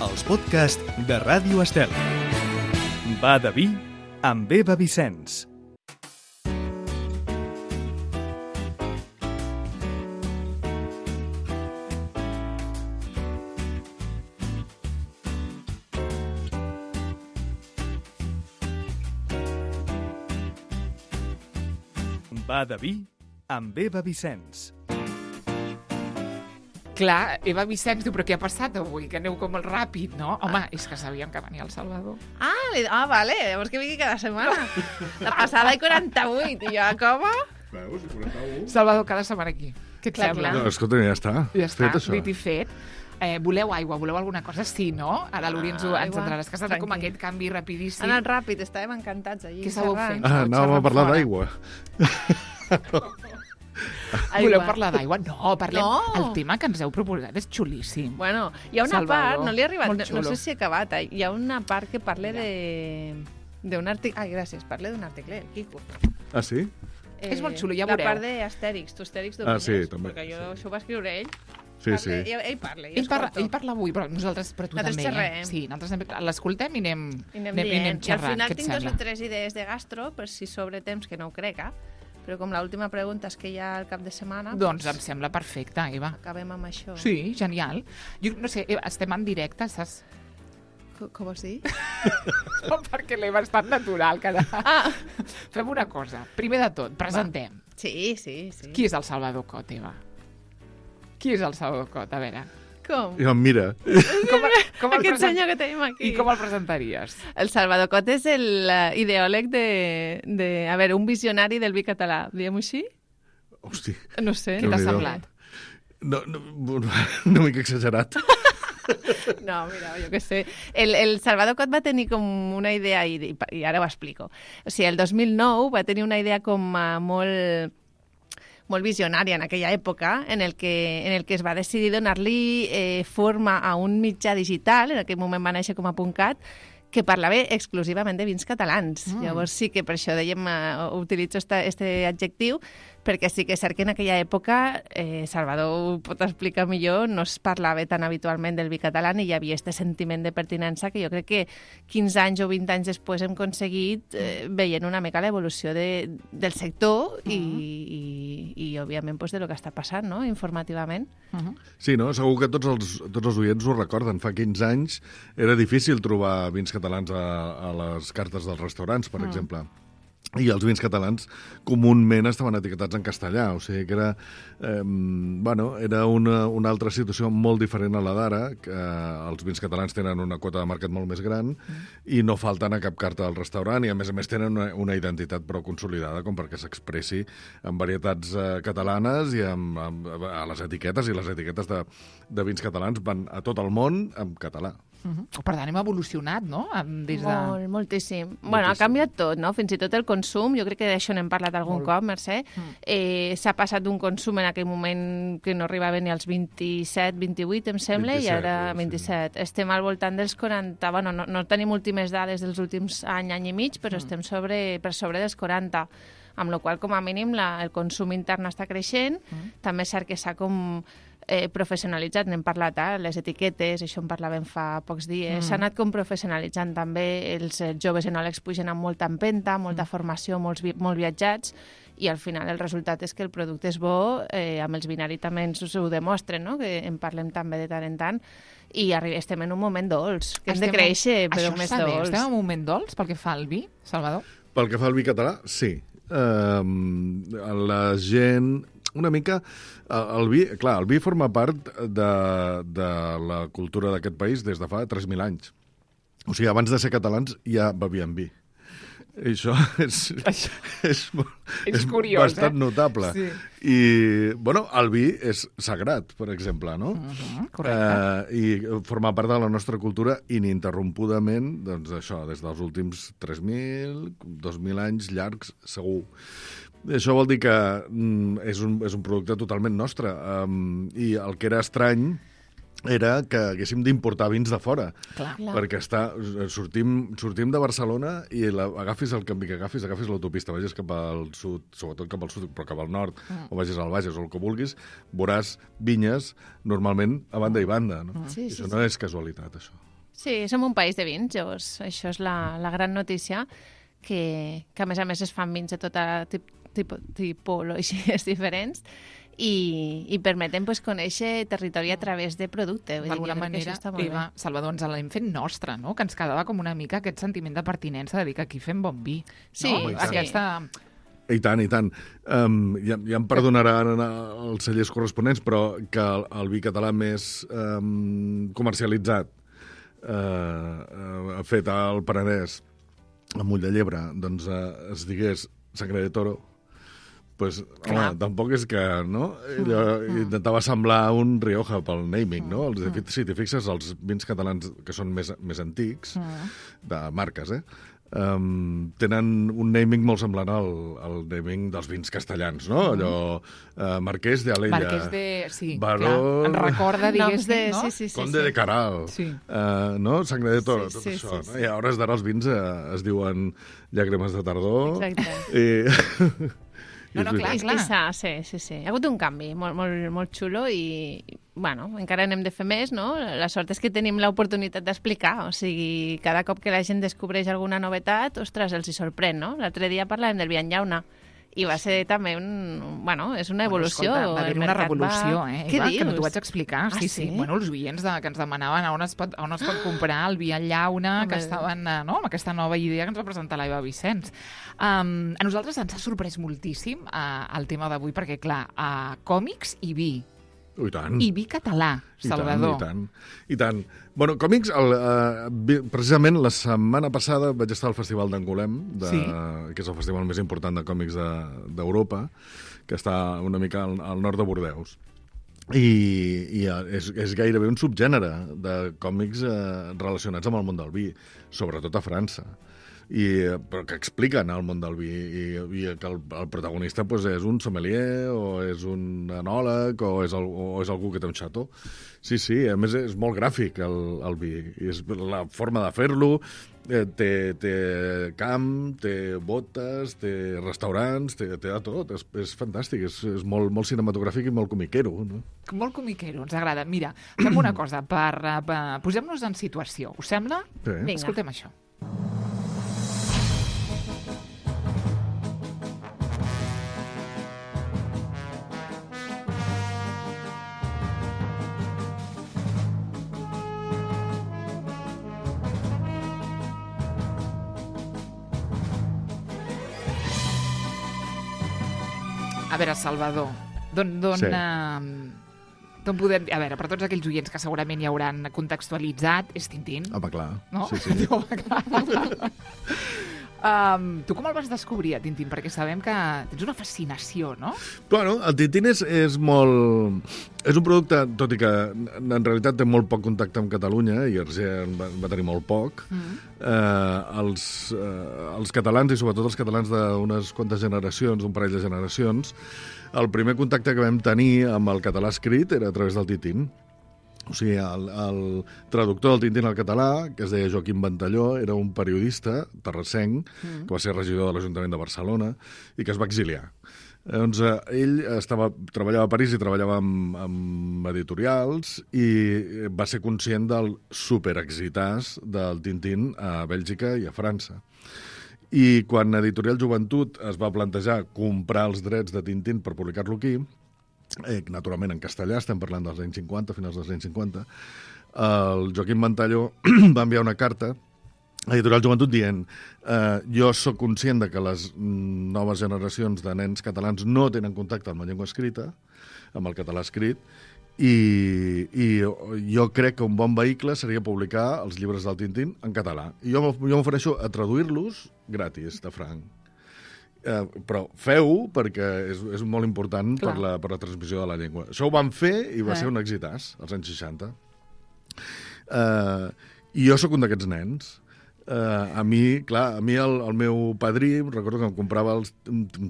els podcasts de Ràdio Estel. Va de vi amb Eva Vicenç. Va de vi amb Eva Vicenç. Clar, Eva Vicenç diu, però què ha passat avui? Que aneu com molt ràpid, no? Home, és que sabíem que venia el Salvador. Vale, llavors que vingui cada setmana. La passada i 48, i jo, com? Veus, 41. Salvador, cada setmana aquí. Què et sembla? No, escolta, ja està. Ja està, Fet això. dit i fet. Voleu aigua, voleu alguna cosa? Sí, no? Ara l'Uri ens entraràs, que ha estat com aquest canvi rapidíssim. Ha anat ràpid, estàvem encantats allí. Què sabeu fer? Anàvem a parlar fora. d'aigua. Voleu parlar d'aigua? No, parlem... No. El tema que ens heu proposat és xulíssim. Bueno, hi ha una Salvador, part, no li he arribat, molt no xulo. sé si he acabat, hi ha una part que parla d'un article... Ai, gràcies, parla d'un article, Quico. Ah, sí? És molt xulo, ja La veureu. part d'Astèrix, tu Astèrix Ah, domines, sí, també. perquè això ho va escriure ell. Sí, sí. Ell parla, Ell parla avui, però nosaltres, però tu Nosaltres també. xerrem. Sí, nosaltres l'escoltem i anem I anem dient. I al xerrant. final Què et tinc 2 sembla? o 3 idees de gastro, per si sobre temps, que no ho crec, però com l'última pregunta és que hi ha el cap de setmana... Doncs em sembla perfecte, Eva. Acabem amb això. Sí, genial. Jo no sé, Eva, estem en directe, saps? Com vols dir? No, perquè l'Eva és tan natural que... Fem una cosa. Primer de tot, presentem. Sí. Qui és el Salvador Cot, Eva? Qui és el Salvador Cot? A veure, Com? I em mira. com el Aquest senyor que tenim aquí. I com el presentaries? El Salvador Cot és l'ideòleg a veure, un visionari del vi català. Diguem-ho així? Hosti. No sé. Què t'ha Déu-n'hi-do. semblat? Una mica exagerat. No, mira, jo què sé. El Salvador Cot va tenir com una idea, i ara ho explico. O sigui, el 2009 va tenir una idea com molt visionària en aquella època, en el que es va decidir donar-li forma a un mitjà digital, en aquell moment va néixer com a .cat, que parlava exclusivament de vins catalans. Llavors sí que per això dèiem, utilitzo este adjectiu, perquè sí que és cert que en aquella època, Salvador ho pot explicar millor, no es parlava tan habitualment del vi català i hi havia aquest sentiment de pertinença que jo crec que 15 anys o 20 anys després hem aconseguit veient una mica l'evolució del sector i òbviament, pues, de lo que està passant, no?, informativament. Sí, no? Segur que tots els oients ho recorden. Fa 15 anys era difícil trobar vins catalans a les cartes dels restaurants, per exemple. I els vins catalans comúment estaven etiquetats en castellà, o sigui que era, era una altra situació molt diferent a la d'ara, que els vins catalans tenen una quota de mercat molt més gran i no falten a cap carta del restaurant i a més tenen una identitat prou consolidada com perquè s'expressi en varietats catalanes i a les etiquetes, i les etiquetes de vins catalans van a tot el món en català. Per tant, hem evolucionat, no? Moltíssim. Bueno, ha canviat tot, no? Fins i tot el consum, jo crec que d'això n'hem parlat algun cop, Mercè. S'ha passat d'un consum en aquell moment que no arribava ni als 27, 28, em sembla, 27, i ara sí. 27. Estem al voltant dels 40, bueno, no tenim últimes dades dels últims any i mig, però estem per sobre dels 40, amb la qual cosa, com a mínim, el consum intern està creixent. També és cert que s'ha com professionalitzat, n'hem parlat, les etiquetes, això en parlàvem fa pocs dies, s'ha anat com professionalitzant també, els joves enòlegs pugen amb molta empenta, molta formació, molt viatjats, i al final el resultat és que el producte és bo, amb els binaris també ens ho demostren, no?, que en parlem també de tant en tant, i estem en un moment dolç, que hem de créixer, però més Això està bé, dolç. estem en un moment dolç pel que fa al vi, Salvador? Pel que fa al vi català, sí. La gent... Una mica, el vi forma part de la cultura d'aquest país des de fa 3.000 anys. O sigui, abans de ser catalans ja bevien vi. I això és curiós, bastant notable. Sí. I, bueno, el vi és sagrat, per exemple, no? Correcte. I forma part de la nostra cultura ininterrompudament, doncs això, des dels últims 3.000, 2.000 anys llargs, segur. Això vol dir que és un producte totalment nostre. I el que era estrany era que haguéssim d'importar vins de fora. Clar. Perquè sortim de Barcelona i agafis el camí que agafis l'autopista, vagis cap al sud, sobretot cap al sud, però cap al nord, o vagis al Bages o el que vulguis, veuràs vinyes normalment a banda i banda. No? Sí, Això no és casualitat, això. Sí, som un país de vins, llavors això és la gran notícia, que a més es fan vins de tota tipologies diferents i permeten conèixer territori a través de producte. D'alguna manera, Eva, Salvador, ens l'hem fet nostra, no? Que ens quedava com una mica aquest sentiment de pertinença de dir que aquí fem bon vi. Sí, no? Aquesta... I tant, i tant. Ja em perdonaran els cellers corresponents, però que el vi català més comercialitzat, fet al Penedès, a Moll de Llebre, doncs es digués Sangre de Toro, pues, home, tampoc és que, no? Intentava semblar un Rioja pel naming, no? Si t'hi fixes, els vins catalans que són més antics, de marques, tenen un naming molt semblant al naming dels vins castellans, no? Allò, Marquès de Alella. Marquès de... Sí, Baró... clar. En recorda, diguéssim, no? Sí. Conde de Caral. Sí. No? Sangre de Toro, tot això. No? I a hores d'ara els vins es diuen llàgrimes de tardor. Exacte. No, clar. Sí. Hi ha hagut un canvi molt xulo i, bueno, encara n'hem de fer més, no? La sort és que tenim l'oportunitat d'explicar, o sigui, cada cop que la gent descobreix alguna novetat, ostres, els hi sorprèn, no? L'altre dia parlàvem del vi en llauna, i va ser també és una evolució. Escolta, va haver una revolució, Què dius? Que no t'ho vaig explicar. Sí. Bueno, els oients que ens demanaven on es pot comprar el vi en llauna, que estaven, no?, amb aquesta nova idea que ens va presentar l'Eva Vicenç. A nosaltres ens ha sorprès moltíssim el tema d'avui, perquè, clar, còmics i vi. I tant. I vi català, Salvador. I tant. Bueno, còmics, precisament la setmana passada vaig estar al Festival d'Angolem, que és el festival més important de còmics d'Europa, que està una mica al nord de Bordeus. I és gairebé un subgènere de còmics relacionats amb el món del vi, sobretot a França. Però que expliquen el món del vi i que el protagonista és un sommelier o és un enòleg o és algú que té un xató. Sí, a més és molt gràfic el vi. I és la forma de fer-lo, té camp, té botes, té restaurants, té de tot. És fantàstic, és molt cinematogràfic i molt comiquero. No? Molt comiquero, ens agrada. Mira, fem una cosa, posem-nos en situació. Us sembla? Sí. Escoltem això. A veure, Salvador, d'on podem... A veure, per tots aquells oients que segurament ja hauran contextualitzat, és Tintín. Home, clar. No? Sí. Home, clar. Tu com el vas descobrir, a Tintín? Perquè sabem que tens una fascinació, no? Bueno, el Tintín és molt... És un producte, tot i que en realitat té molt poc contacte amb Catalunya, i Hergé va tenir molt poc, els catalans, i sobretot els catalans d'unes quantes generacions, d'un parell de generacions, el primer contacte que vam tenir amb el català escrit era a través del Tintín. O sigui, el traductor del Tintín al català, que es deia Joaquim Ventalló, era un periodista terrassenc, que va ser regidor de l'Ajuntament de Barcelona i que es va exiliar. Doncs ell treballava a París i treballava amb editorials i va ser conscient del superexitàs del Tintín a Bèlgica i a França. I quan Editorial Joventut es va plantejar comprar els drets de Tintín per publicar-lo aquí, naturalment en castellà, estem parlant dels anys 50, finals dels anys 50, el Joaquim Ventalló va enviar una carta a Editorial Joventut dient jo sóc conscient de que les noves generacions de nens catalans no tenen contacte amb la llengua escrita, amb el català escrit, i jo crec que un bon vehicle seria publicar els llibres del Tintín en català. I jo m'ofereixo a traduir-los gratis, de franc. Però feu-ho perquè és molt important per la transmissió de la llengua. Això ho van fer i va ser un exitàs als anys 60. I jo sóc un d'aquests nens. A mi el meu padrí, recordo que em comprava un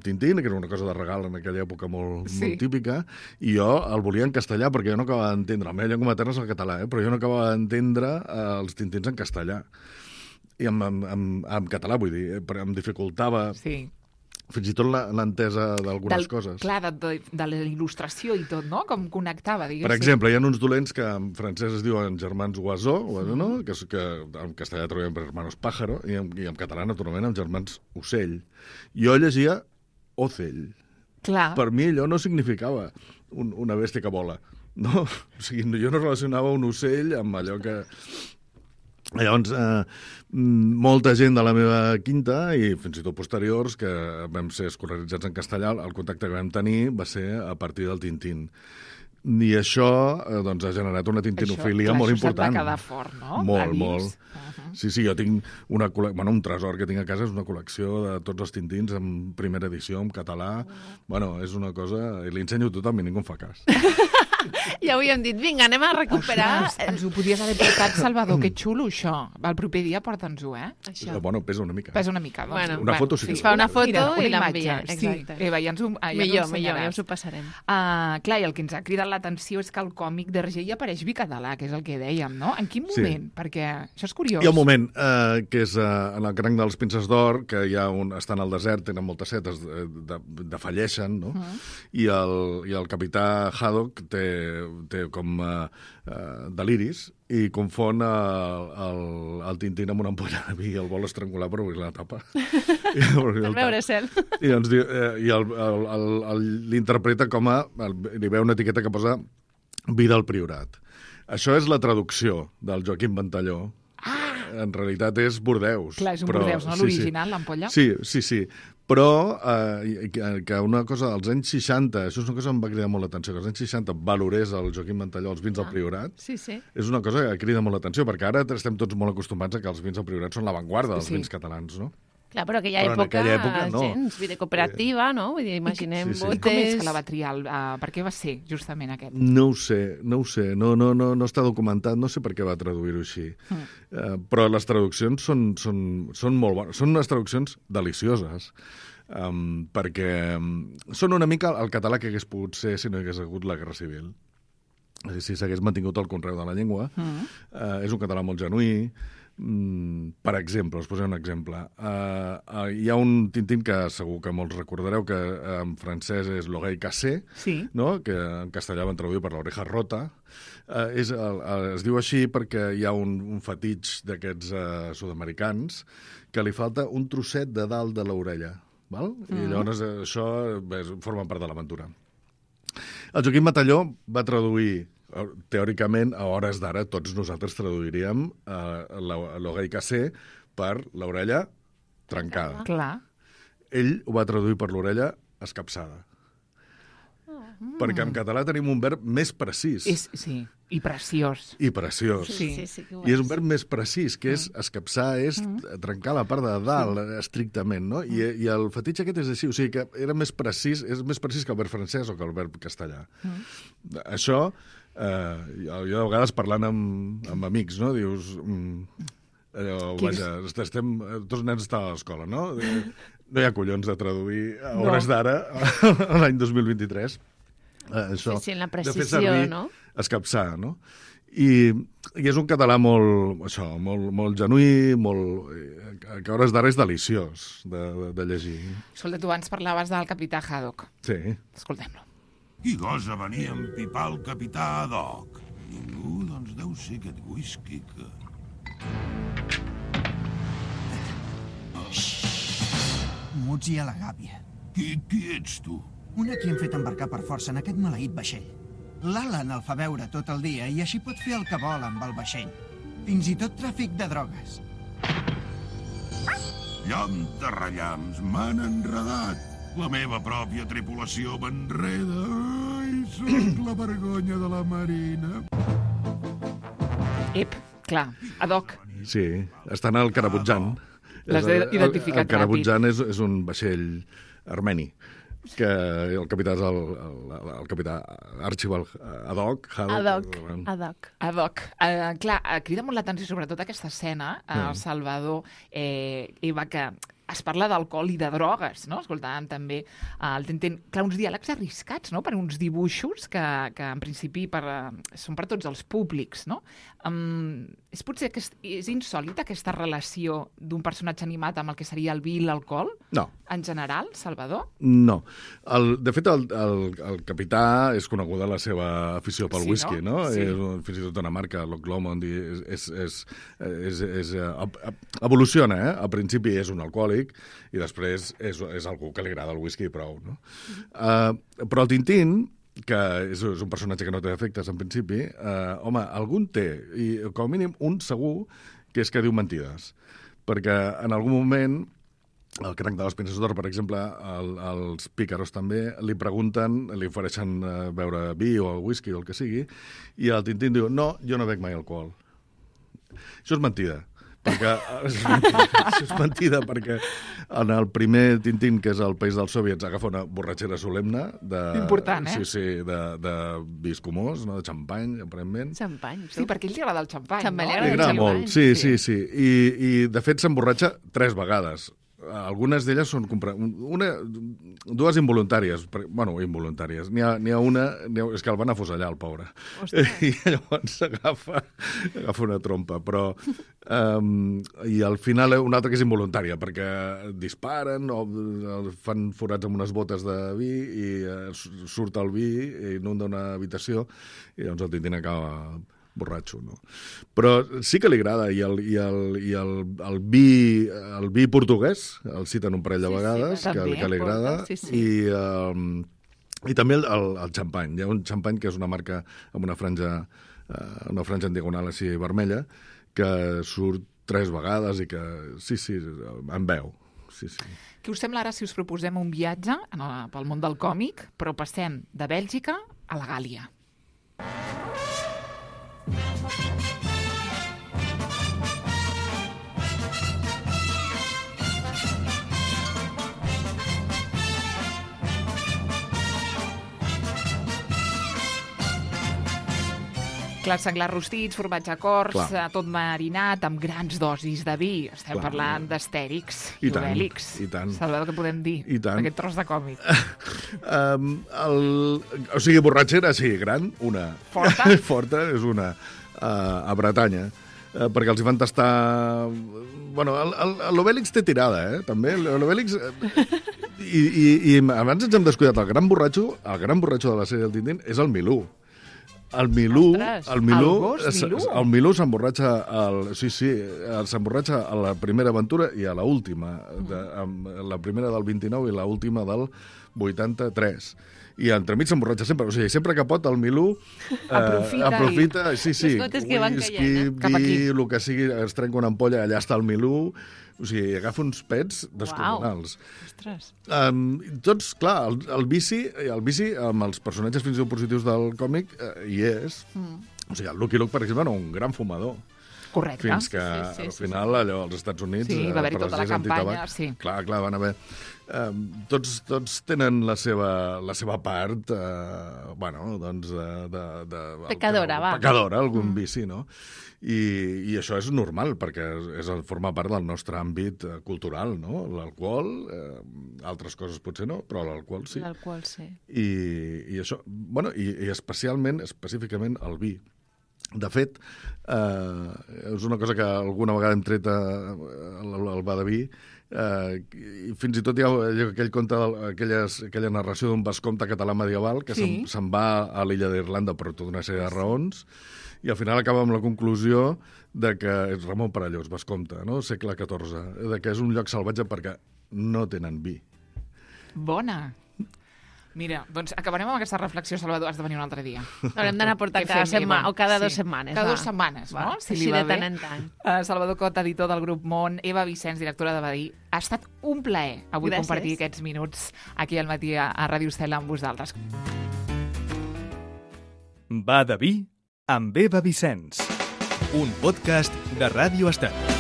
Tintín, que era una cosa de regal en aquella època molt típica, i jo el volia en castellà, perquè jo no acabava d'entendre. La meva llengua materna és el català, però jo no acabava d'entendre els Tintins en castellà. I en català, vull dir, em dificultava fins i tot l'entesa d'algunes coses. Clar, de la il·lustració i tot, no? Com connectava, diguéssim. Per exemple, hi ha uns dolents que en francès es diuen germans Oiseau, no? que en castellà trobem per hermanos pájaro, i en català, naturalment, amb germans ocell. Jo llegia ocell. Clar. Per mi allò no significava una bèstia que vola. No? O sigui, jo no relacionava un ocell amb allò que... Llavors, molta gent de la meva quinta i fins i tot posteriors que vam ser escolaritzats en castellà, el contacte que vam tenir va ser a partir del Tintín. I això doncs, ha generat una tintinofília molt important. Això, clar, això se't va quedar fort, no? Molt, molt. Sí, jo tinc un tresor que tinc a casa, és una col·lecció de tots els Tintins en primera edició, en català. Bueno, és una cosa... I li ensenyo a tothom i ningú em fa cas. Ja ho havíem dit, vinga, anem a recuperar... Ostres, ens ho podies haver portat, Salvador, que xulo, això. El proper dia porta'ns-ho, Això. Bueno, pesa una mica. Pesa una mica, doncs. Bueno, una foto sí que es fa una foto Mira, i una l'envia. imatge, Exacte. Sí. Eva, ja ens ho Millor, ensenyaràs. ja us ho passarem. Clar, i el que ens ha cridat l'atenció és que el còmic d'Hergé hi apareix bicatalà, que és el que dèiem, no? En quin moment? Sí. Perquè això és curiós. Hi ha un moment que és en el cranc dels Pinces d'Or, que estan al desert, tenen moltes setes, defalleixen, no? I el capità Haddock té com deliris i confon el Tintín amb una ampolla de vi i el vol estrangular per obrir la tapa. Per veure cel. I doncs, l'interpreta com li veu una etiqueta que posa vi del Priorat. Això és la traducció del Joaquim Ventalló. En realitat és Bordeus. Clar, és un Bordeus, no? L'original, l'ampolla. Sí. Però que una cosa dels anys 60, això és una cosa que em va cridar molt l'atenció, que als anys 60 valorés el Joaquim Ventalló els vins del Priorat, Sí. és una cosa que crida molt l'atenció, perquè ara estem tots molt acostumats a que els vins del Priorat són l'avantguarda dels vins catalans, no? Clar, però en aquella època no. gens, vida cooperativa, no? Vull dir, imaginem Sí. botes... I com és que la va triar? Per què va ser justament aquest? No ho sé. No està documentat, no sé per què va traduir-ho així. Però les traduccions són molt bones. Són unes traduccions delicioses, perquè són una mica el català que hagués pogut ser si no hi hagués hagut la Guerra Civil. Si s'hagués mantingut el conreu de la llengua. És un català molt genuí. Per exemple, us posaré un exemple. Hi ha un Tintín que segur que molts recordareu, que en francès és L'Oreille Cassée, no? Que en castellà van traduir per l'oreja rota. Es diu així perquè hi ha un fetitx d'aquests sud-americans que li falta un trosset de dalt de l'orella. I llavors això forma part de l'aventura. El Joaquim Ventalló va traduir, teòricament, a hores d'ara, tots nosaltres traduiríem l'oreille cassée per l'orella trencada. Clar. Ell ho va traduir per l'orella escapçada. Perquè en català tenim un verb més precís. Sí, i preciós. I preciós. Sí, I és un verb més precís, que és escapçar, és trencar la part de dalt, estrictament, no? I el fetitx aquest és així, o sigui que era més precís, és més precís que el verb francès o que el verb castellà. Això, jo de vegades parlant amb amics, no? Dius... estem, tots els nens estan a l'escola, no? No hi ha collons de traduir a hores d'ara, l'any 2023. Això, sí, en la de fer precisió, servir no? Escapçar, no? I és un català molt genuí, que a hores d'ara és deliciós de llegir. Escolta, tu abans parlaves del capità Haddock. Sí. Escoltem-lo. Qui gosa venir a empipar el capità Haddock? Ningú, doncs deu ser aquest whisky que... Muts i a la gàbia. Qui ets tu? Un a qui hem fet embarcar per força en aquest maleït vaixell. L'Alan el fa veure tot el dia i així pot fer el que vol amb el vaixell. Fins i tot tràfic de drogues. Llamps, m'han enredat. La meva pròpia tripulació m'enreda. Ai, sóc la vergonya de la marina. Clar, Haddock. Sí, estan al Carabutjan. L'has identificat el Carabutjan és un vaixell armeni, que el capità és el capità Archibald Haddock. Haddock. Clar, crida molt l'atenció sobretot aquesta escena, el Salvador, Eva, que es parla d'alcohol i de drogues, no? Escoltàvem també el Tintín. Clar, uns diàlegs arriscats, no?, per uns dibuixos que en principi són per tots els públics, no? És potser que és insòlita aquesta relació d'un personatge animat amb el que seria el vi i l'alcohol? No. En general, Salvador? No. De fet, el capità és coneguda la seva afició pel whisky, no? Sí. És fins i tot una marca, Loch Lomond, evoluciona, eh? Al principi és un alcohòlic i després és algú que li agrada el whisky i prou, no? Però el Tintín, que és un personatge que no té efectes en principi, home, algun té, i com a mínim un segur, que és que diu mentides. Perquè en algun moment, el cranc de les Pinces d'Or, per exemple, els pícaros també, li pregunten, li ofereixen beure vi o whisky o el que sigui, i el Tintín diu, no, jo no bec mai alcohol. Això és mentida. Això és mentida perquè en el primer Tintín, que és el País dels Soviets, agafa una borratxera solemne important, eh? Sí, de vi escumós, no? De xampany, aparentment. Xampany. Sí, perquè a ell li agrada el xampany, Xampany, no? li agrada el molt, sí. I de fet s'emborratxa 3 vegades. Algunes d'elles són dues involuntàries. Bueno, involuntàries. N'hi ha una... És que el van afusellar, el pobre. I llavors agafa una trompa. Però... I al final una altra que és involuntària, perquè disparen o fan forats amb unes botes de vi i surt el vi i inunda una habitació i llavors el Tintín acaba borratxo, no? Però sí que li agrada, i el vi portuguès, el citen un parell de vegades, que li agrada, i també el xampany. Hi ha un xampany que és una marca amb una franja en diagonal així vermella, que surt 3 vegades i que, sí, en veu. Sí. Què us sembla ara si us proposem un viatge pel món del còmic, però passem de Bèlgica a la Gàlia? Clars senglars rostits, formatge cors, tot marinat, amb grans dosis de vi. Estem parlant d'Astèrix i Obèlix. I tant. Salvador, què podem dir d'aquest tros de còmic? O sigui, borratxera, sí, gran, una. Forta? Forta, és una. A Bretanya. Perquè els hi van tastar... Bueno, l'Obèlix té tirada, també. L'Obèlix... I abans ens hem descuidat. El gran borratxo de la sèrie del Tintín és el Milú. El Milú s'emborratxa s'emborratxa a la primera aventura i a l'última, la primera del 29 i l'última del 83. I entremig s'emborratxa sempre, o sigui, sempre que pot el Milú aprofita les gotes que van caient, cap aquí. El que sigui, es trenca una ampolla, allà està el Milú, o sigui, agafa uns pets descomunals. Ostres. Tots, clar, el vici amb els personatges fins i tot positius del còmic hi és. O sigui, el Lucky Luke, per exemple, era un gran fumador. Correcte. Fins que al final, allò, als Estats Units... Sí, va haver-hi tota la campanya, sí. Clar, van haver... Tots tenen la seva part, bueno, doncs... Pecadora, va. Pecadora, algun vici, no? I això és normal, perquè forma part del nostre àmbit cultural, no? L'alcohol, altres coses potser no, però l'alcohol sí. L'alcohol sí. I això, bueno, i específicament el vi. De fet, és una cosa que alguna vegada hem tret al bar de vi, i fins i tot hi ha aquell conte, aquella narració d'un vescomte català medieval que se'n va a l'illa d'Irlanda per tota una sèrie de raons, i al final acaba amb la conclusió de que és Ramon Perellós, vescomte, no? Segle XIV, de que és un lloc salvatge perquè no tenen vi. Bona! Mira, doncs acabarem amb aquesta reflexió, Salvador, has de venir un altre dia. Haurem d'anar a portar cada setmana, o cada 2 setmanes. Cada 2 setmanes, no? Si li va bé. De tant en tant. Salvador Cot, editor del grup Món, Eva Vicenç, directora de Badí. Ha estat un plaer avui compartir aquests minuts aquí al matí a Ràdio Estel amb vosaltres. Va de vi amb Eva Vicenç, un podcast de Ràdio Estel.